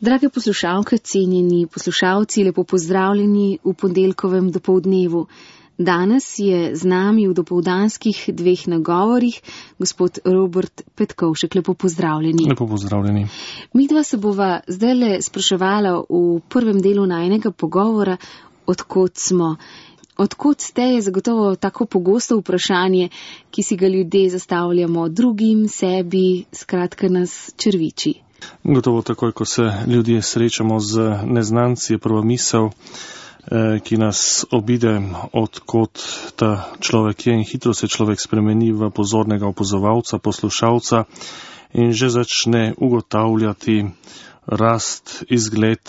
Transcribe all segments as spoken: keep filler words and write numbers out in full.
Drage poslušalke, cenjeni poslušalci, lepo pozdravljeni v ponedeljkovem dopoldnevu. Danes je z nami v dopoldanskih dveh nagovorih gospod Robert Petkovšek. Lepo pozdravljeni. Lepo pozdravljeni. Midva se bova zdajle spraševala v prvem delu najinega pogovora, odkot smo. Odkot ste je zagotovo tako pogosto vprašanje, ki si ga ljudje zastavljamo drugim, sebi, skratka nas črviči. Gotovo takoj, ko se ljudje srečamo z neznanci, je prva misel, ki nas obide, odkot ta človek je, in hitro se človek spremeni v pozornega opazovalca, poslušalca in že začne ugotavljati rast, izgled,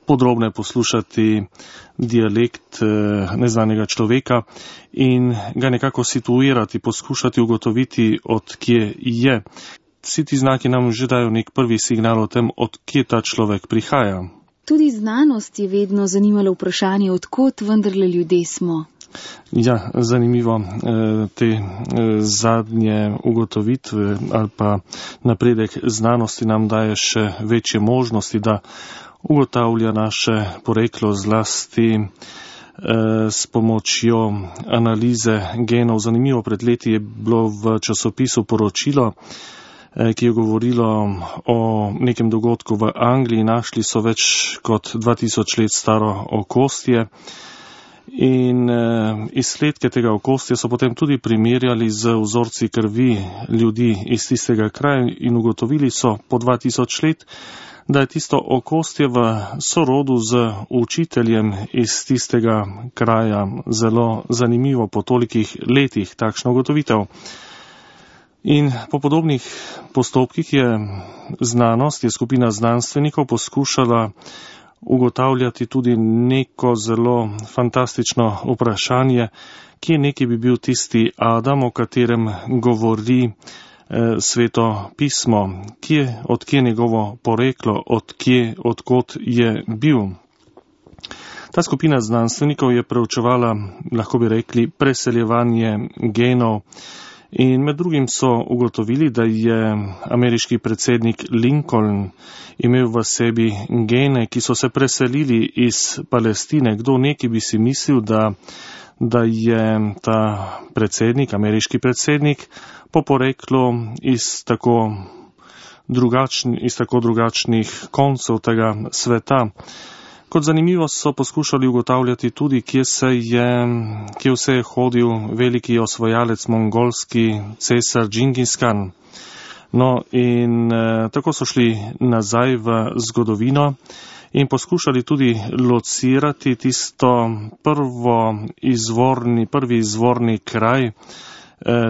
podrobne poslušati dialekt neznanega človeka in ga nekako situirati, poskušati ugotoviti, od kje je. Vsi ti znaki nam že dajo nek prvi signal o tem, od kje ta človek prihaja. Tudi znanost je vedno zanimalo vprašanje, odkot vendarle ljudje smo. Ja, zanimivo. Te zadnje ugotovitve ali pa napredek znanosti nam daje še večje možnosti, da ugotavlja naše poreklo zlasti s pomočjo analize genov. Zanimivo, pred leti je bilo v časopisu poročilo, ki je govorilo o nekem dogodku v Angliji. Našli so več kot dva tisoč let staro okostje in izsledke tega okostja so potem tudi primerjali z vzorci krvi ljudi iz tistega kraja in ugotovili so po dva tisoč let, da je tisto okostje v sorodu z učiteljem iz tistega kraja. Zelo zanimivo po tolikih letih takšno ugotovitev. In po podobnih postopkih je znanost, je skupina znanstvenikov poskušala ugotavljati tudi neko zelo fantastično vprašanje, kje neki bi bil tisti Adam, o katerem govori eh, Sveto pismo, kje, odkje njegovo poreklo, odkje, odkot je bil. Ta skupina znanstvenikov je preučevala, lahko bi rekli, preseljevanje genov. In med drugim so ugotovili, da je ameriški predsednik Lincoln imel v sebi gene, ki so se preselili iz Palestine. Kdo neki bi si mislil, da, da je ta predsednik, ameriški predsednik, po poreklu iz tako, drugačni, iz tako drugačnih koncev tega sveta. Kot zanimivo so poskušali ugotavljati tudi, kje se je, kje vse je hodil veliki osvajalec, mongolski cesar Džingis Kan. No in eh, tako so šli nazaj v zgodovino in poskušali tudi locirati tisto prvo izvorni, prvi izvorni kraj eh,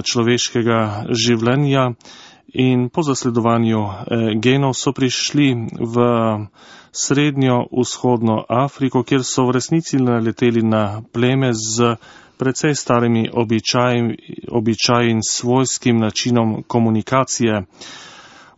človeškega življenja in po zasledovanju eh, genov so prišli v srednjo vzhodno Afriko, kjer so v resnici naleteli na pleme z precej starimi običaji, običaji in svojskim načinom komunikacije.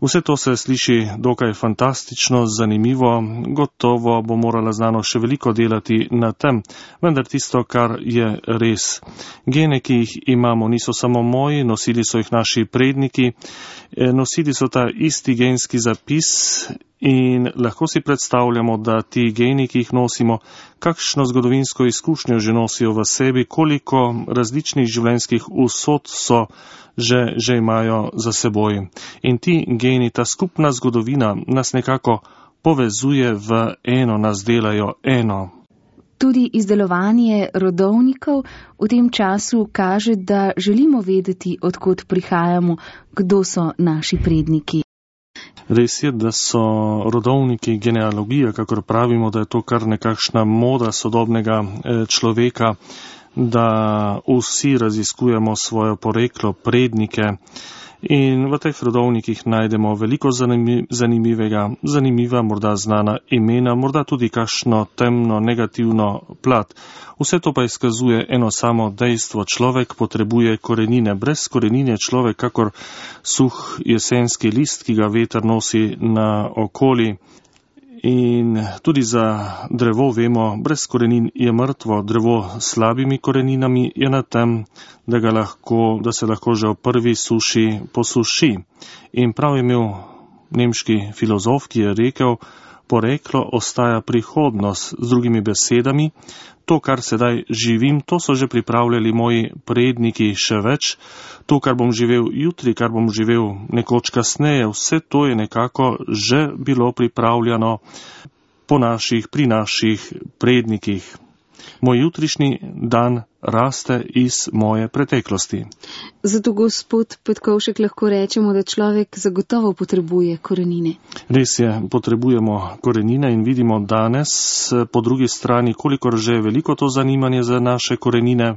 Vse to se sliši dokaj fantastično, zanimivo, gotovo bo morala znanost še veliko delati na tem, vendar tisto, kar je res. Gene, ki jih imamo, niso samo moji, nosili so jih naši predniki, nosili so ta isti genski zapis in lahko si predstavljamo, da ti geni, ki jih nosimo, kakšno zgodovinsko izkušnjo že nosijo v sebi, koliko različnih življenjskih usod so že, že imajo za seboj. In ti geni, ta skupna zgodovina nas nekako povezuje v eno, nas delajo eno. Tudi izdelovanje rodovnikov v tem času kaže, da želimo vedeti, odkot prihajamo, kdo so naši predniki. Res je, da so rodovniki genealogija, kakor pravimo, da je to kar nekakšna moda sodobnega človeka, da vsi raziskujemo svoje poreklo, prednike. In v teh rodovnikih najdemo veliko zanimivega, zanimiva, morda znana imena, morda tudi kakšno temno, negativno plat. Vse to pa izkazuje eno samo dejstvo. Človek potrebuje korenine. Brez korenine človek, kakor suh jesenski list, ki ga veter nosi na okoli. In tudi za drevo vemo, brez korenin je mrtvo. Drevo s slabimi koreninami je na tem, da, ga lahko, da se lahko že v prvi suši posuši. In prav je imel nemški filozof, ki je rekel, poreklo ostaja prihodnost. Z drugimi besedami, to, kar sedaj živim, to so že pripravljali moji predniki, še več. To, kar bom živel jutri, kar bom živel nekoč kasneje, vse to je nekako že bilo pripravljeno po naših, pri naših prednikih. Moj jutrišnji dan raste iz moje preteklosti. Zato, gospod Petkovšek, lahko rečemo, da človek zagotovo potrebuje korenine. Res je, potrebujemo korenine in vidimo danes po drugi strani, kolikor že je veliko to zanimanje za naše korenine,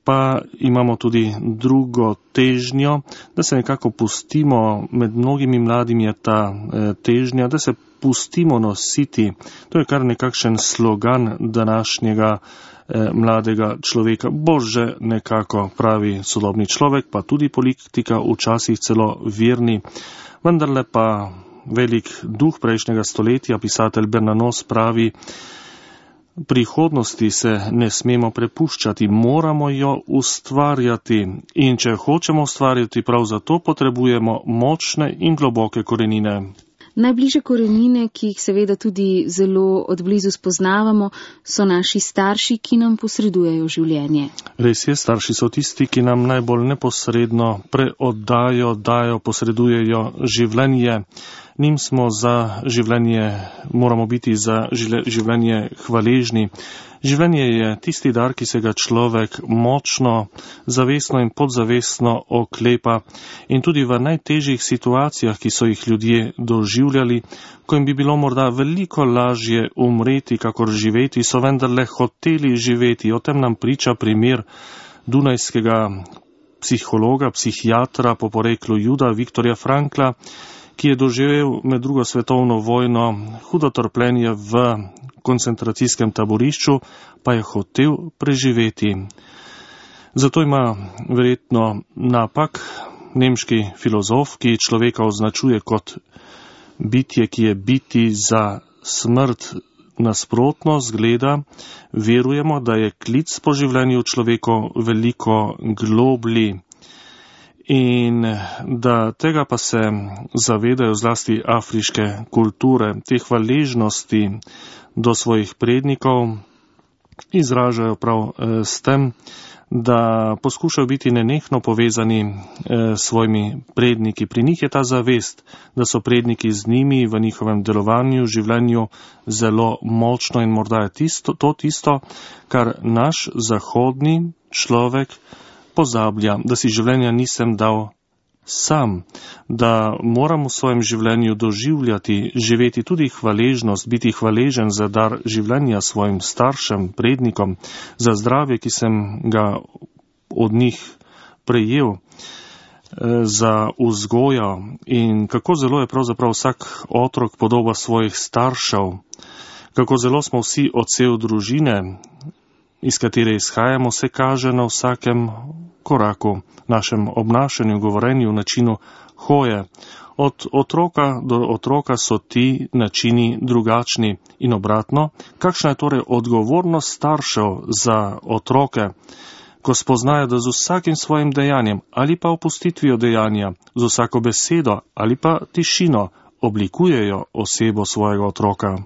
pa imamo tudi drugo težnjo, da se nekako pustimo, med mnogimi mladimi je ta težnja, da se pustimo nositi. To je kar nekakšen slogan današnjega eh, mladega človeka. Bože, nekako pravi sodobni človek, pa tudi politika, včasih celo verni. Vendarle pa velik duh prejšnjega stoletja, pisatelj Bernanos, pravi, prihodnosti se ne smemo prepuščati, moramo jo ustvarjati. In če hočemo ustvarjati, prav zato potrebujemo močne in globoke korenine. Najbližje korenine, ki jih seveda tudi zelo odblizu spoznavamo, so naši starši, ki nam posredujejo življenje. Res je, starši so tisti, ki nam najbolj neposredno preoddajo, dajo, posredujejo življenje. Njim smo za življenje, moramo biti za življenje hvaležni. Življenje je tisti dar, ki se ga človek močno, zavestno in podzavestno oklepa, in tudi v najtežjih situacijah, ki so jih ljudje doživljali, ko jim bi bilo morda veliko lažje umreti, kakor živeti, so vendarle hoteli živeti. O tem nam priča primer dunajskega psihologa, psihiatra po poreklu Juda, Viktorja Frankla, ki je doživel med drugo svetovno vojno hudo trpljenje v koncentracijskem taborišču, pa je hotel preživeti. Zato ima verjetno napak nemški filozof, ki človeka označuje kot bitje, ki je biti za smrt nasprotno, zgleda, verujemo, da je klic po življenju človeku veliko globlji. In da tega pa se zavedajo zlasti afriške kulture, te hvaležnosti do svojih prednikov izražajo prav eh, s tem, da poskušajo biti nenehno povezani eh, s svojimi predniki. Pri njih je ta zavest, da so predniki z njimi v njihovem delovanju, življenju zelo močno, in morda je tisto, to tisto, kar naš zahodni človek pozablja, da si življenja nisem dal sam, da moram v svojem življenju doživljati, živeti tudi hvaležnost, biti hvaležen za dar življenja svojim staršem, prednikom, za zdravje, ki sem ga od njih prejel, za vzgojo. In kako zelo je pravzaprav vsak otrok podoba svojih staršev, kako zelo smo vsi odsev družine, iz katere izhajamo, se kaže na vsakem koraku, našem obnašanju, govorenju, načinu hoje. Od otroka do otroka so ti načini drugačni in obratno. Kakšna je torej odgovornost staršev za otroke, ko spoznajo, da z vsakim svojim dejanjem ali pa opustitvijo dejanja, z vsako besedo ali pa tišino oblikujejo osebo svojega otroka?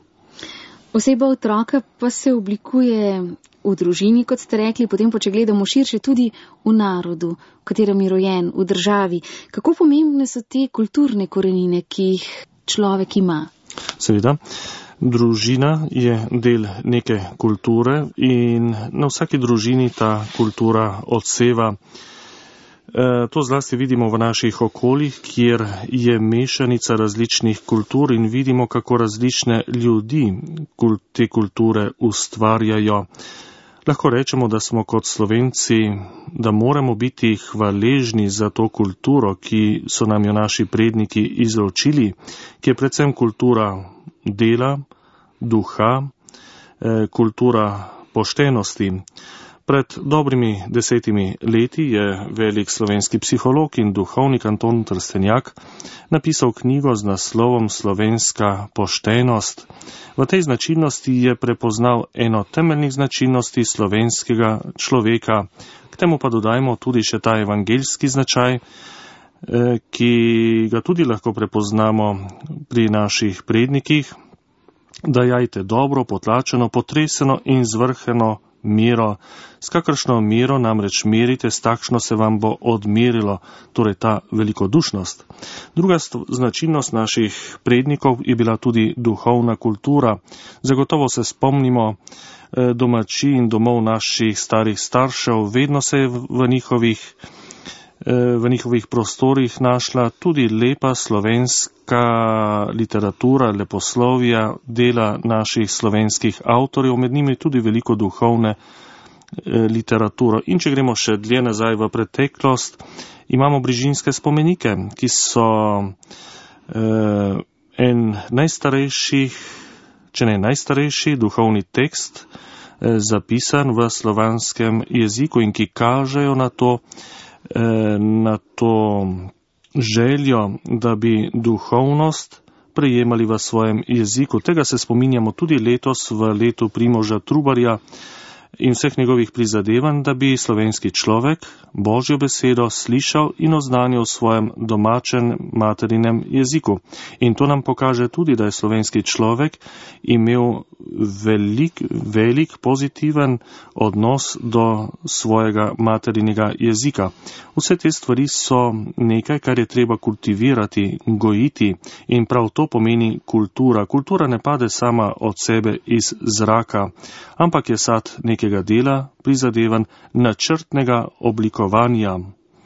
Oseba otroka pa se oblikuje v družini, kot ste rekli, potem pa, če gledamo širše, tudi v narodu, v katerem je rojen, v državi. Kako pomembne so te kulturne korenine, ki jih človek ima? Seveda, družina je del neke kulture in na vsaki družini ta kultura odseva. To zlasti vidimo v naših okoljih, kjer je mešanica različnih kultur in vidimo, kako različne ljudi te kulture ustvarjajo. Lahko rečemo, da smo kot Slovenci, da moramo biti hvaležni za to kulturo, ki so nam jo naši predniki izročili, ki je predvsem kultura dela, duha, kultura poštenosti. Pred dobrimi desetimi leti je velik slovenski psiholog in duhovnik Anton Trstenjak napisal knjigo z naslovom Slovenska poštenost. V tej značilnosti je prepoznal eno temeljnih značilnosti slovenskega človeka. K temu pa dodajmo tudi še ta evangeljski značaj, ki ga tudi lahko prepoznamo pri naših prednikih. dajajte dobro, potlačeno, potreseno in zvrheno mero. S kakršno mero namreč merite, s takšno se vam bo odmerilo, torej ta velikodušnost. Druga značilnost naših prednikov je bila tudi duhovna kultura. Zagotovo se spomnimo domači in domov naših starih staršev, vedno se je v njihovih, v njihovih prostorih našla tudi lepa slovenska literatura, leposlovja, dela naših slovenskih avtorjev, med njimi tudi veliko duhovne literaturo. In če gremo še dlje nazaj v preteklost, imamo brižinske spomenike, ki so eh, en najstarejših, če ne najstarejši duhovni tekst eh, zapisan v slovanskem jeziku in ki kažejo na to, eh, na to željo, da bi duhovnost prejemali v svojem jeziku. Tega se spominjamo tudi letos v letu Primoža Trubarja in vseh njegovih prizadevanj, da bi slovenski človek Božjo besedo slišal in oznanil v svojem domačem materinem jeziku. In to nam pokaže tudi, da je slovenski človek imel velik, velik pozitiven odnos do svojega materinega jezika. Vse te stvari so nekaj, kar je treba kultivirati, gojiti in prav to pomeni kultura. Kultura ne pade sama od sebe iz zraka, ampak je sad nekega dela, prizadevan, načrtnega oblikovanja.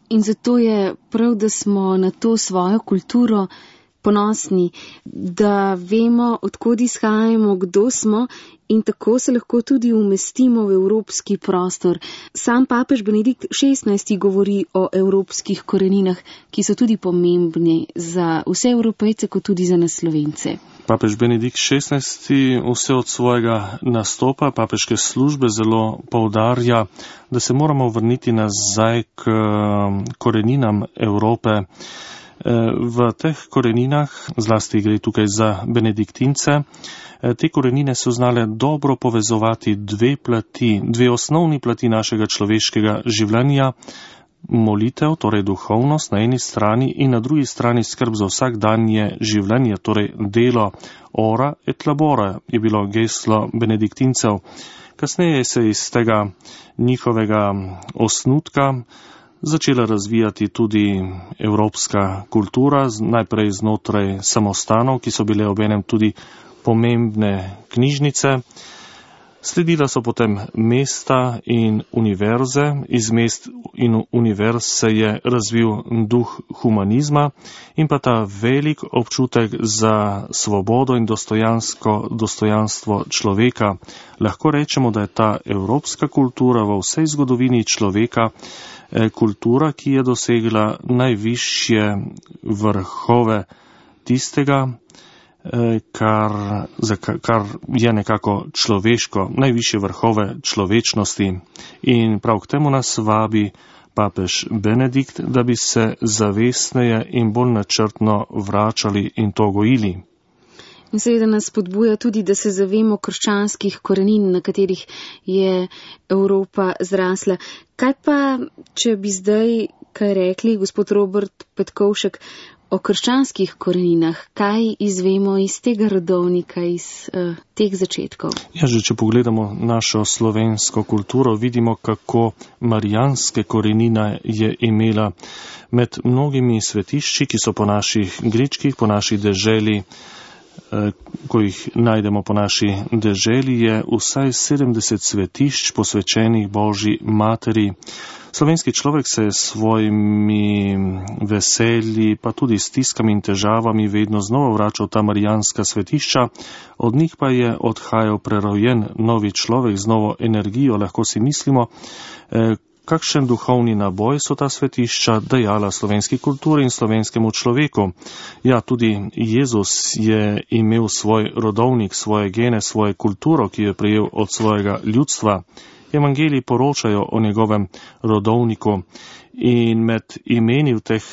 In zato je prav, da smo na to svojo kulturo ponosni, da vemo, odkod izhajamo, kdo smo in tako se lahko tudi umestimo v evropski prostor. Sam papež Benedikt šestnajsti govori o evropskih koreninah, ki so tudi pomembni za vse Evropejce, kot tudi za nas Slovence. Papež Benedikt šestnajsti vse od svojega nastopa papeške službe zelo poudarja, da se moramo vrniti nazaj k koreninam Evrope. V teh koreninah, zlasti gre tukaj za benediktince, te korenine so znale dobro povezovati dve plati, dve osnovni plati našega človeškega življenja, molitev, torej duhovnost na eni strani in na drugi strani skrb za vsakdanje življenje, torej delo. Ora et labora je bilo geslo benediktincev. Kasneje se je iz tega njihovega osnutka začela razvijati tudi evropska kultura, najprej znotraj samostanov, ki so bile obenem tudi pomembne knjižnice. Sledila so potem mesta in univerze. Iz mest in univerz se je razvil duh humanizma in pa ta velik občutek za svobodo in dostojansko dostojanstvo človeka. Lahko rečemo, da je ta evropska kultura v vsej zgodovini človeka kultura, ki je dosegla najvišje vrhove tistega, Kar, kar je nekako človeško, najvišje vrhove človečnosti. In prav k temu nas vabi papež Benedikt, da bi se zavestneje in bolj načrtno vračali in to gojili. In seveda nas spodbuja tudi, da se zavemo krščanskih korenin, na katerih je Evropa zrasla. Kaj pa, če bi zdaj kaj rekli, gospod Robert Petkovšek, o krščanskih koreninah, kaj izvemo iz tega rodovnika, iz uh, teh začetkov? Ja, že če pogledamo našo slovensko kulturo, vidimo, kako marijanske korenine je imela. Med mnogimi svetišči, ki so po naših gričkih, po naši deželi, eh, ko jih najdemo po naši deželi, je vsaj sedemdeset svetišč posvečenih Božji materi. Slovenski človek se je s svojimi veselji, pa tudi stiskami in težavami vedno znova vračal ta marijanska svetišča, od njih pa je odhajal prerojen novi človek z novo energijo. Lahko si mislimo, eh, kakšen duhovni naboj so ta svetišča dajala slovenski kulturi in slovenskemu človeku. Ja, tudi Jezus je imel svoj rodovnik, svoje gene, svojo kulturo, ki jo je prejel od svojega ljudstva. Evangeliji poročajo o njegovem rodovniku in med imeni v, teh,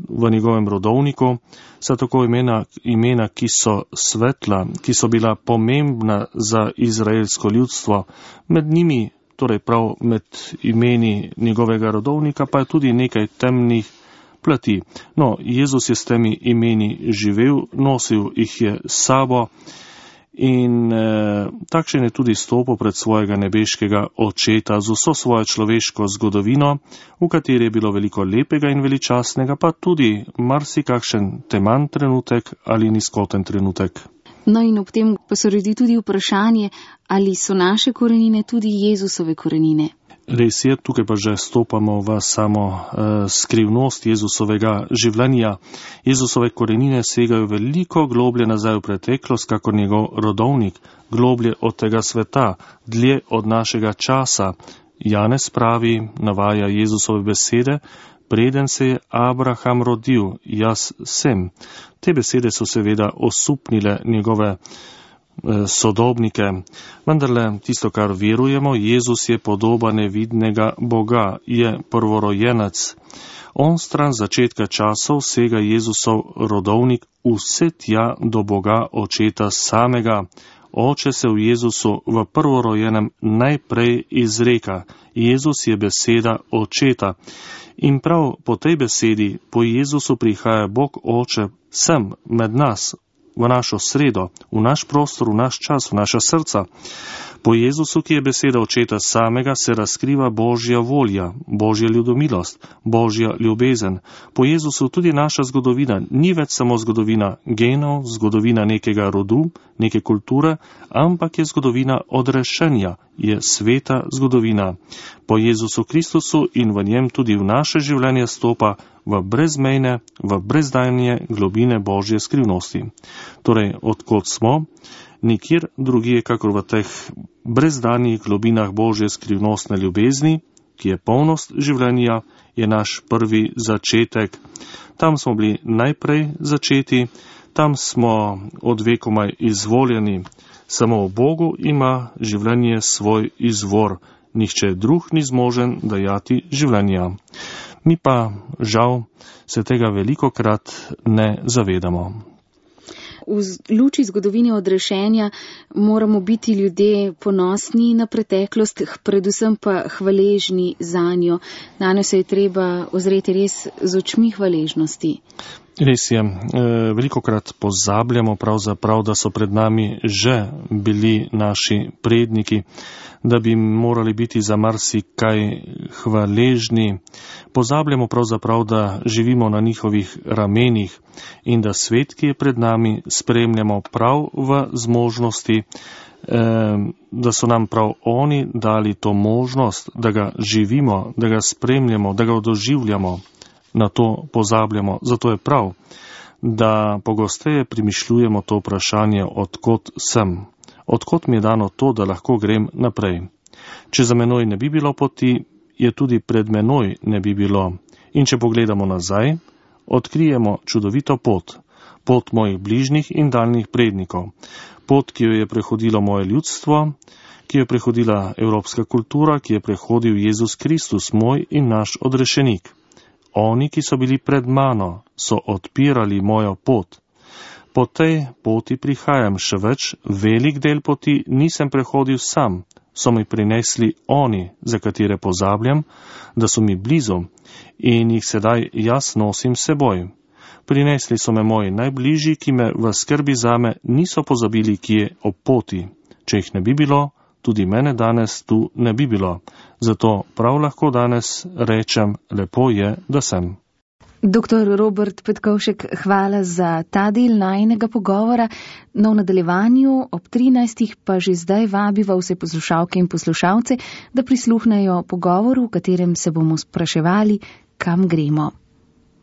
v njegovem rodovniku so tako imena, imena, ki so svetla, ki so bila pomembna za izraelsko ljudstvo. Med njimi, torej prav med imeni njegovega rodovnika, pa je tudi nekaj temnih plati. No, Jezus je s temi imeni živel, nosil jih je s sabo In eh, takšen je tudi stopil pred svojega nebeškega očeta z vso svojo človeško zgodovino, v kateri je bilo veliko lepega in veličastnega, pa tudi marsikakšen teman trenutek ali nizkoten trenutek. No in ob tem pa se rodi tudi vprašanje, ali so naše korenine tudi Jezusove korenine. Res je, tukaj pa že stopamo v samo uh, skrivnost Jezusovega življenja. Jezusove korenine segajo veliko globlje nazaj v preteklost, kakor njegov rodovnik, globlje od tega sveta, dlje od našega časa. Janez pravi, navaja Jezusove besede, preden se je Abraham rodil, jaz sem. Te besede so seveda osupnile njegove sodobnike. Vendarle, tisto, kar verujemo, Jezus je podoba nevidnega Boga, je prvorojenec. On stran začetka časov sega Jezusov rodovnik vse tja do Boga Očeta samega. Oče se v Jezusu v prvorojenem najprej izreka. Jezus je beseda Očeta. In prav po tej besedi, po Jezusu prihaja Bog Oče sem med nas, v našo sredo, v naš prostor, v naš čas, v naša srca. Po Jezusu, ki je beseda Očeta samega, se razkriva Božja volja, Božja ljudomilost, Božja ljubezen. Po Jezusu tudi naša zgodovina ni več samo zgodovina genov, zgodovina nekega rodu, neke kulture, ampak je zgodovina odrešenja, je sveta zgodovina. Po Jezusu Kristusu in v njem tudi v naše življenje stopa v brezmejne, v brezdajne globine Božje skrivnosti. Torej, odkot smo, nikjer drugje, kakor v teh brezdanjih globinah Božje skrivnostne ljubezni, ki je polnost življenja, je naš prvi začetek. Tam smo bili najprej začeti, tam smo od vekomaj izvoljeni. Samo v Bogu ima življenje svoj izvor. Nihče drug ni zmožen dajati življenja. Mi pa, žal, se tega velikokrat ne zavedamo. V luči zgodovine odrešenja moramo biti ljudje ponosni na preteklost, predvsem pa hvaležni zanjo. Nanjo se je treba ozreti res z očmi hvaležnosti. Res je, velikokrat pozabljamo pravzaprav, da so pred nami že bili naši predniki, da bi morali biti za marsikaj hvaležni. Pozabljamo pravzaprav, da živimo na njihovih ramenih in da svet, ki je pred nami, spremljamo prav v zmožnosti, da so nam prav oni dali to možnost, da ga živimo, da ga spremljamo, da ga doživljamo. Na to pozabljamo. Zato je prav, da pogosteje premišljujemo to vprašanje, odkot sem. Odkot mi je dano to, da lahko grem naprej. Če za menoj ne bi bilo poti, je tudi pred menoj ne bi bilo. In če pogledamo nazaj, odkrijemo čudovito pot. Pot mojih bližnjih in daljnih prednikov. Pot, ki jo je prehodilo moje ljudstvo, ki jo je prehodila evropska kultura, ki je prehodil Jezus Kristus, moj in naš odrešenik. Oni, ki so bili pred mano, so odpirali mojo pot. Po tej poti prihajam še več, velik del poti nisem prehodil sam, so mi prinesli oni, za katere pozabljam, da so mi blizu in jih sedaj jaz nosim seboj. Prinesli so me moji najbližji, ki me v skrbi zame niso pozabili, ki je ob poti. Če jih ne bi bilo, tudi mene danes tu ne bi bilo. Zato prav lahko danes rečem, lepo je, da sem. Doktor Robert Petkovšek, hvala za ta del najinega pogovora. No, v nadaljevanju ob trinajstih pa že zdaj vabiva vse poslušalke in poslušalce, da prisluhnejo pogovoru, v katerem se bomo spraševali, kam gremo.